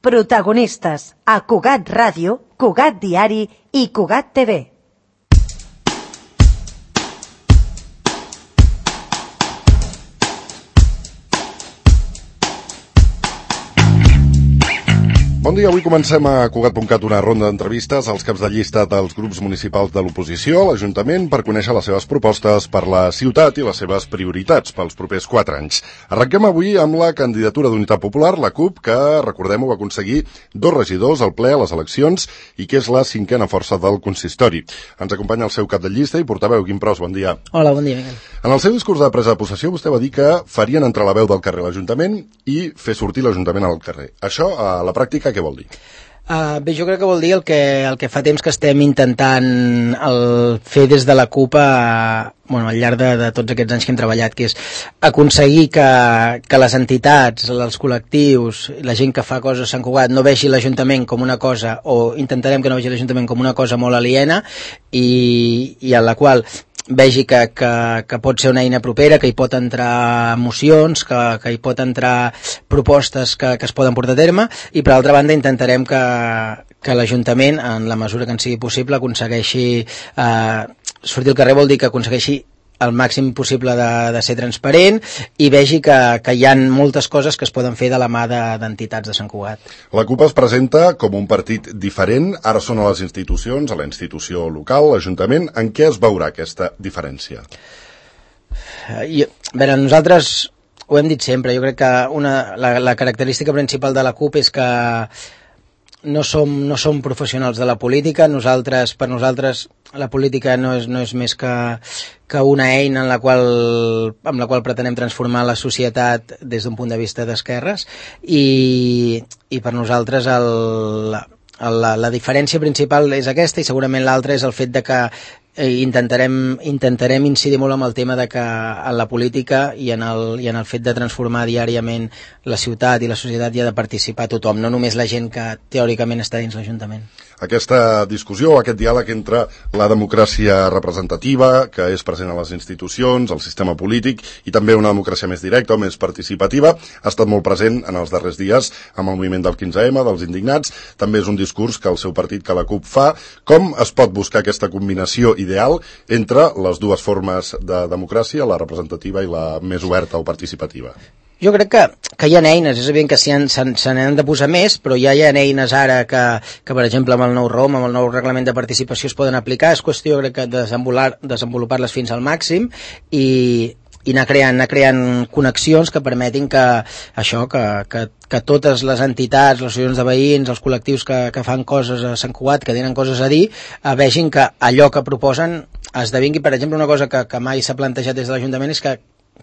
Protagonistes a Cugat Ràdio, Cugat Diari i Cugat TV. Bon dia, avui comencem a Cugat.cat una ronda d'entrevistes als caps de llista dels grups municipals de l'oposició a l'Ajuntament per conèixer les seves propostes per la ciutat i les seves prioritats pels propers 4 anys. Arrenquem avui amb la candidatura d'Unitat Popular, la CUP, que, recordem-ho, va aconseguir 2 regidors al ple a les eleccions i que és la 5a força del consistori. Ens acompanya el seu cap de llista i portaveu, Quim Pros, bon dia. Hola, bon dia, Miquel. En el seu discurs de presa de possessió, vostè va dir que farien entrar la veu del carrer a l'Ajuntament i fer sortir l'Ajuntament al carrer. Això, a la pràctica, què vol dir? Bé, jo crec que vol dir el que fa temps que estem intentant fer des de la CUP al llarg de tots aquests anys que hem treballat, que és aconseguir que les entitats, els col·lectius, la gent que fa coses a Sant Cugat no vegi l'Ajuntament com una cosa, o intentarem que no vegi l'Ajuntament com una cosa molt aliena i a la qual vegi que pot ser una eina propera, que hi pot entrar mocions, que hi pot entrar propostes que es poden portar a terme, i per altra banda intentarem que l'Ajuntament, en la mesura que en sigui possible, aconsegueixi sortir al carrer, vol dir que aconsegueixi el màxim possible de ser transparent i vegi que hi ha moltes coses que es poden fer de la mà d'entitats de Sant Cugat. La CUP es presenta com un partit diferent, ara són a les institucions, a la institució local, l'Ajuntament. En què es veurà aquesta diferència? A veure, nosaltres ho hem dit sempre, jo crec que la característica principal de la CUP és que no som professionals de la política. Per nosaltres la política no és més que una eina amb la qual pretenem transformar la societat des d'un punt de vista d'esquerres i per nosaltres la diferència principal és aquesta, i segurament l'altra és el fet de que intentarem incidir molt amb el tema de que en la política i en el fet de transformar diàriament la ciutat i la societat hi ha de participar tothom, no només la gent que teòricament està dins l'Ajuntament. Aquesta discussió, aquest diàleg entre la democràcia representativa, que és present a les institucions, el sistema polític, i també una democràcia més directa o més participativa, ha estat molt present en els darrers dies amb el moviment del 15M, dels indignats. També és un discurs que el seu partit, que la CUP, fa. Com es pot buscar aquesta combinació ideal entre les dues formes de democràcia, la representativa i la més oberta o participativa? Jo crec que hi ha eines, és evident que se n'han de posar més, però ja hi ha eines ara que per exemple, amb el nou ROM, amb el nou reglament de participació es poden aplicar. És qüestió, crec, de desenvolupar-les fins al màxim i anar creant connexions que permetin que totes les entitats, les associacions de veïns, els col·lectius que fan coses a Sant Cugat, que tenen coses a dir, vegin que allò que proposen esdevingui. Per exemple, una cosa que mai s'ha plantejat des de l'Ajuntament és que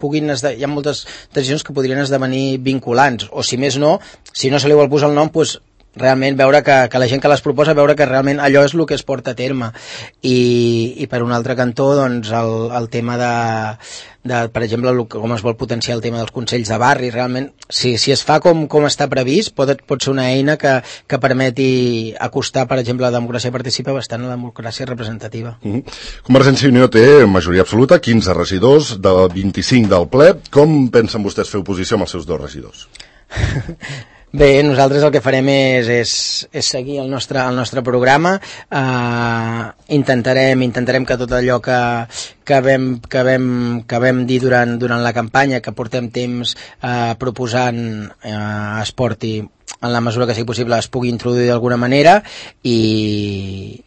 hi ha moltes decisions que podrien esdevenir vinculants, o si més no, si no se li vol posar el nom, doncs realment veure que la gent que les proposa, veure que realment allò és el que es porta a terme. I per un altre cantó, doncs, el tema per exemple, com es vol potenciar el tema dels consells de barri, realment, si es fa com està previst, pot ser una eina que permeti acostar, per exemple, la democràcia participativa bastant a la democràcia representativa. Convergència i Unió té majoria absoluta, 15 regidors, de 25 del ple. Com pensen vostès fer oposició amb els seus 2 regidors? Bé, nosaltres el que farem és seguir el nostre programa. Intentarem que tot allò que vam dir durant la campanya, que portem temps proposant, es porti, en la mesura que sigui possible, es pugui introduir d'alguna manera i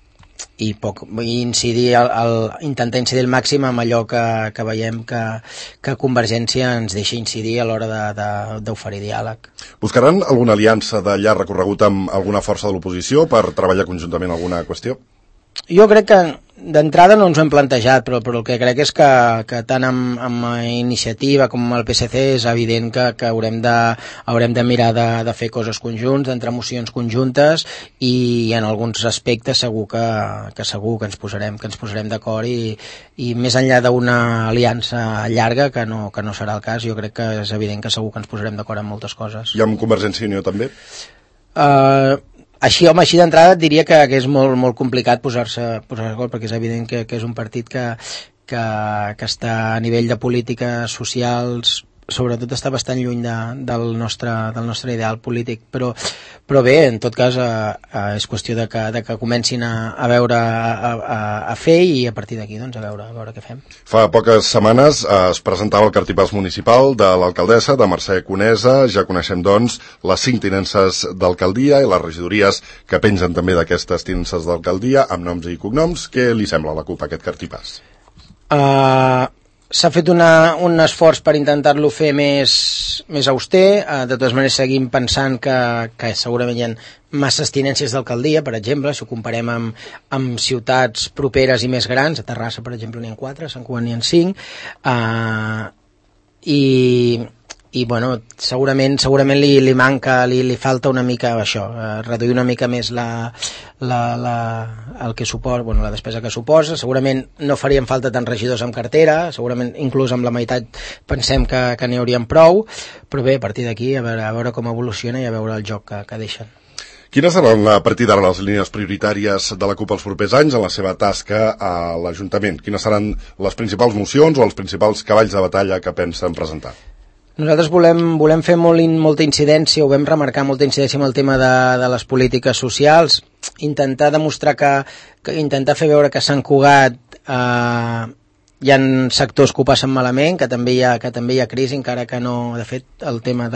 intentar incidir al màxim amb allò que veiem que Convergència ens deixa incidir a l'hora d'oferir diàleg. Buscaran alguna aliança de llarg recorregut amb alguna força de l'oposició per treballar conjuntament alguna qüestió? Jo crec que d'entrada no ens ho hem plantejat, però el que crec és que tant amb Iniciativa com amb el PSC és evident que haurem de mirar de fer coses conjunts, d'entrar mocions conjuntes, i en alguns aspectes segur que ens posarem d'acord, i més enllà d'una aliança llarga, que no serà el cas, jo crec que és evident que segur que ens posarem d'acord en moltes coses. I amb Convergència i Unió també? Així d'entrada et diria que és molt complicat posar-se d'acord, perquè és evident que és un partit que està a nivell de polítiques socials sobretot està bastant lluny del nostre ideal polític, però bé, en tot cas és qüestió de que comencin a veure, a fer, i a partir d'aquí doncs, a veure què fem. Fa poques setmanes es presentava el cartipàs municipal de l'alcaldessa, de Mercè Conesa. Ja coneixem doncs les 5 tinences d'alcaldia i les regidories que pengen també d'aquestes tinences d'alcaldia amb noms i cognoms. Què li sembla a la CUP aquest cartipàs? S'ha fet un esforç per intentar-lo fer més auster. De totes maneres seguim pensant que segurament hi ha masses tinències d'alcaldia, per exemple, si ho comparem amb ciutats properes i més grans. A Terrassa, per exemple, n'hi ha 4, a Sant Cugat n'hi ha 5, i bueno, segurament li manca, li falta una mica això, reduir una mica més el que suposa, bueno, la despesa que suposa. Segurament no farien falta tants regidors amb cartera, segurament inclús amb la meitat pensem que n'hi haurien prou, però bé, a partir d'aquí a veure com evoluciona i a veure el joc que deixen. Quines seran a partir d'ara les línies prioritàries de la CUP els propers anys en la seva tasca a l'Ajuntament? Quines seran les principals mocions o els principals cavalls de batalla que pensen presentar? Nosaltres volem fer molta incidència, o vam remarcar molta incidència amb el tema de les polítiques socials, intentar demostrar intentar fer veure que a Sant Cugat hi ha sectors que ho passen malament, que també hi ha crisi, encara que no, de fet, el tema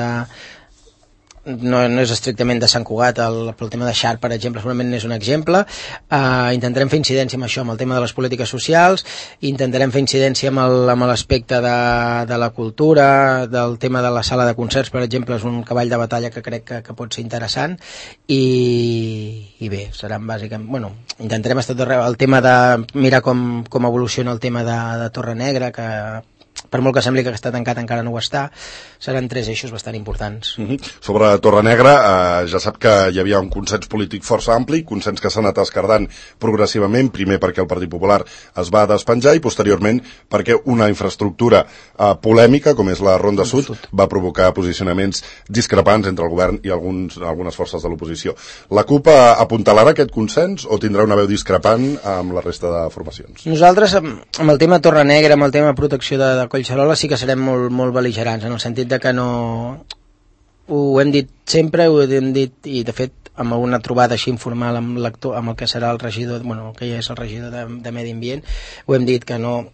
no és estrictament de Sant Cugat, el tema de Xart, per exemple, segurament n'és un exemple. Intentarem fer incidència amb això, amb el tema de les polítiques socials, intentarem fer incidència amb l'aspecte de la cultura, del tema de la sala de concerts, per exemple, és un cavall de batalla que crec que pot ser interessant, i bé, seran bàsicament, bueno, intentarem estar tot arreu, el tema de mirar com evoluciona el tema de Torre Negra, que per molt que sembli que està tancat encara no ho està. Seran 3 eixos bastant importants. Sobre Torre Negra, ja sap que hi havia un consens polític força ampli, consens que s'ha anat escardant progressivament, primer perquè el Partit Popular es va despenjar i posteriorment perquè una infraestructura polèmica com és la Ronda Sud va provocar posicionaments discrepants entre el govern i algunes forces de l'oposició. La CUP apuntalarà aquest consens o tindrà una veu discrepant amb la resta de formacions? Nosaltres, amb el tema Torre Negra, amb el tema protecció de Collserola, sí que serem molt bel·ligerants, en el sentit de que no... Ho hem dit sempre, ho hem dit, i de fet amb una trobada així informal amb el que serà el regidor, bueno, que ja és el regidor de Medi Ambient, ho hem dit que no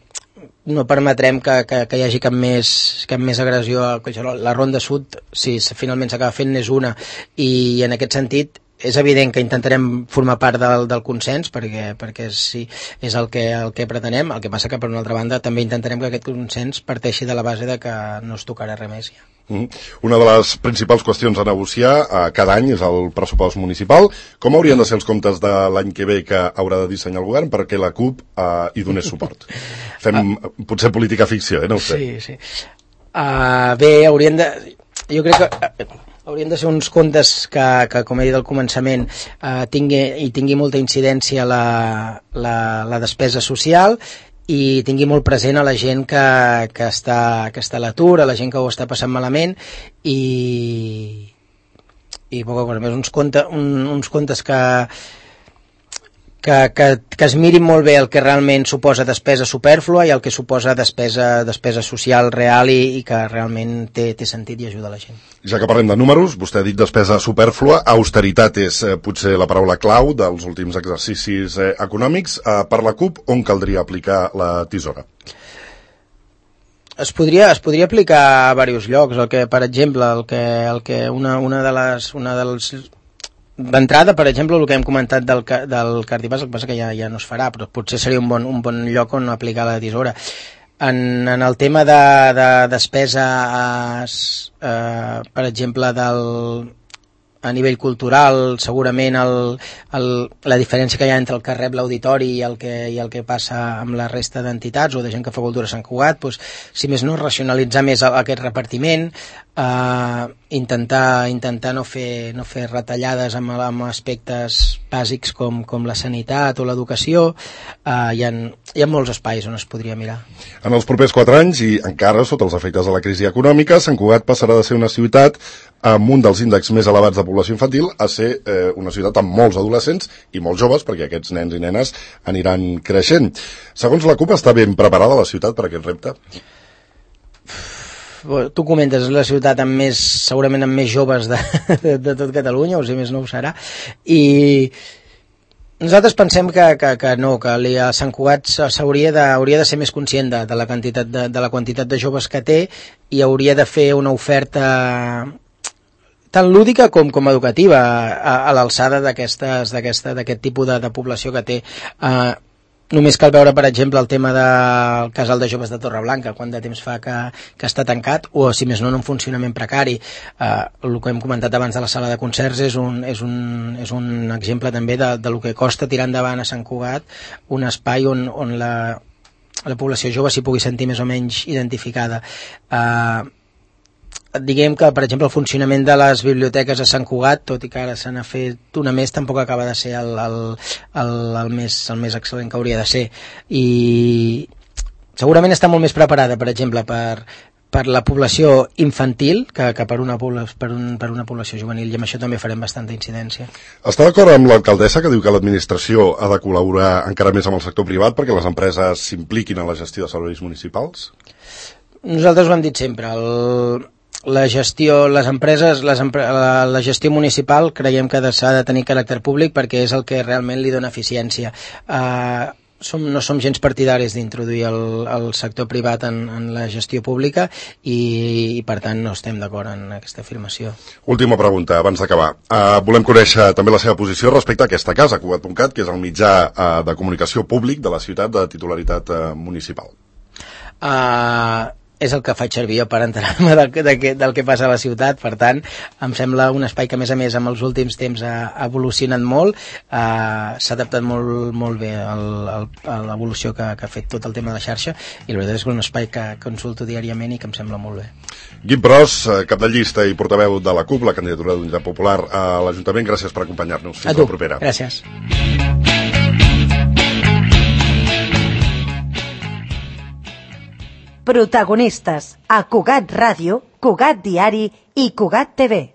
permetrem que hi hagi cap més agressió a Collserola. La Ronda Sud, si finalment s'acaba fent, n'és una, i en aquest sentit és evident que intentarem formar part del consens perquè sí, és el que pretenem. El que passa que per una altra banda també intentarem que aquest consens parteixi de la base de que no es tocarà res més ja. Una de les principals qüestions a negociar cada any és el pressupost municipal. Com haurien de ser els comptes de l'any que ve que haurà de dissenyar el govern perquè la CUP hi donés suport? Fem potser política ficció, no ho sé. Sí. Bé, jo crec que haurien de ser uns comptes que com he dit al començament, tingui molta incidència la despesa social i tingui molt present a la gent que està a l'atur, a la gent que ho està passant malament, i poca cosa més, uns comptes que es mirin molt bé el que realment suposa despesa supèrflua i el que suposa despesa social real i que realment té sentit i ajuda la gent. Ja que parlem de números, vostè ha dit despesa supèrflua, austeritat és potser la paraula clau dels últims exercicis econòmics. Per la CUP, on caldria aplicar la tisora? Es podria aplicar a diversos llocs, per exemple, d'entrada, per exemple, el que hem comentat del cartipàs, el que passa que ja no es farà, però potser seria un bon lloc on aplicar la tisora. En el tema de despesa, per exemple, a nivell cultural, segurament la diferència que hi ha entre el que rep l'auditori i el que passa amb la resta d'entitats o de gent que fa cultura a Sant Cugat, doncs, si més no, racionalitzar més aquest repartiment, intentar no fer retallades amb aspectes bàsics com la sanitat o l'educació. Hi ha molts espais on es podria mirar. En els propers 4 anys, i encara sota els efectes de la crisi econòmica, Sant Cugat passarà de ser una ciutat amb un dels índexs més elevats de població infantil a ser una ciutat amb molts adolescents i molts joves, perquè aquests nens i nenes aniran creixent. Segons la CUP, està ben preparada la ciutat per aquest repte? tu comentes, és la ciutat amb més, segurament amb més joves de tot Catalunya, o si més no ho serà, i nosaltres pensem que no, que a Sant Cugat hauria de ser més conscient de la quantitat de joves que té i hauria de fer una oferta tant lúdica com educativa a l'alçada d'aquest tipus de població que té. Només cal veure, per exemple, el tema del casal de joves de Torreblanca, quant de temps fa que està tancat, o si més no en un funcionament precari. El que hem comentat abans de la sala de concerts és un exemple també del que costa tirar endavant a Sant Cugat un espai on la població jove s'hi pugui sentir més o menys identificada. Diguem que, per exemple, el funcionament de les biblioteques a Sant Cugat, tot i que ara se n'ha fet una més, tampoc acaba de ser el més excel·lent que hauria de ser. I segurament està molt més preparada, per exemple, per la població infantil que per una població juvenil, i amb això també farem bastanta incidència. Està d'acord amb l'alcaldessa que diu que l'administració ha de col·laborar encara més amb el sector privat perquè les empreses s'impliquin en la gestió de serveis municipals? Nosaltres ho hem dit sempre, la gestió municipal creiem que s'ha de tenir caràcter públic perquè és el que realment li dona eficiència. No som gens partidaris d'introduir el sector privat en la gestió pública i per tant no estem d'acord en aquesta afirmació. Última pregunta, abans d'acabar. Volem conèixer també la seva posició respecte a aquesta casa, Cugat.cat, que és el mitjà de comunicació públic de la ciutat de titularitat municipal. És el que faig servir per enterar-me del que passa a la ciutat, per tant em sembla un espai que a més amb els últims temps ha evolucionat molt, s'ha adaptat molt bé a l'evolució que ha fet tot el tema de la xarxa, i la veritat és que és un espai que consulto diàriament i que em sembla molt bé. Guim Pros, cap de llista i portaveu de la CUP, la candidatura d'Unitat Popular a l'Ajuntament, gràcies per acompanyar-nos. Fins la propera. Gràcies. Protagonistes a Cugat Ràdio, Cugat Diari i Cugat TV.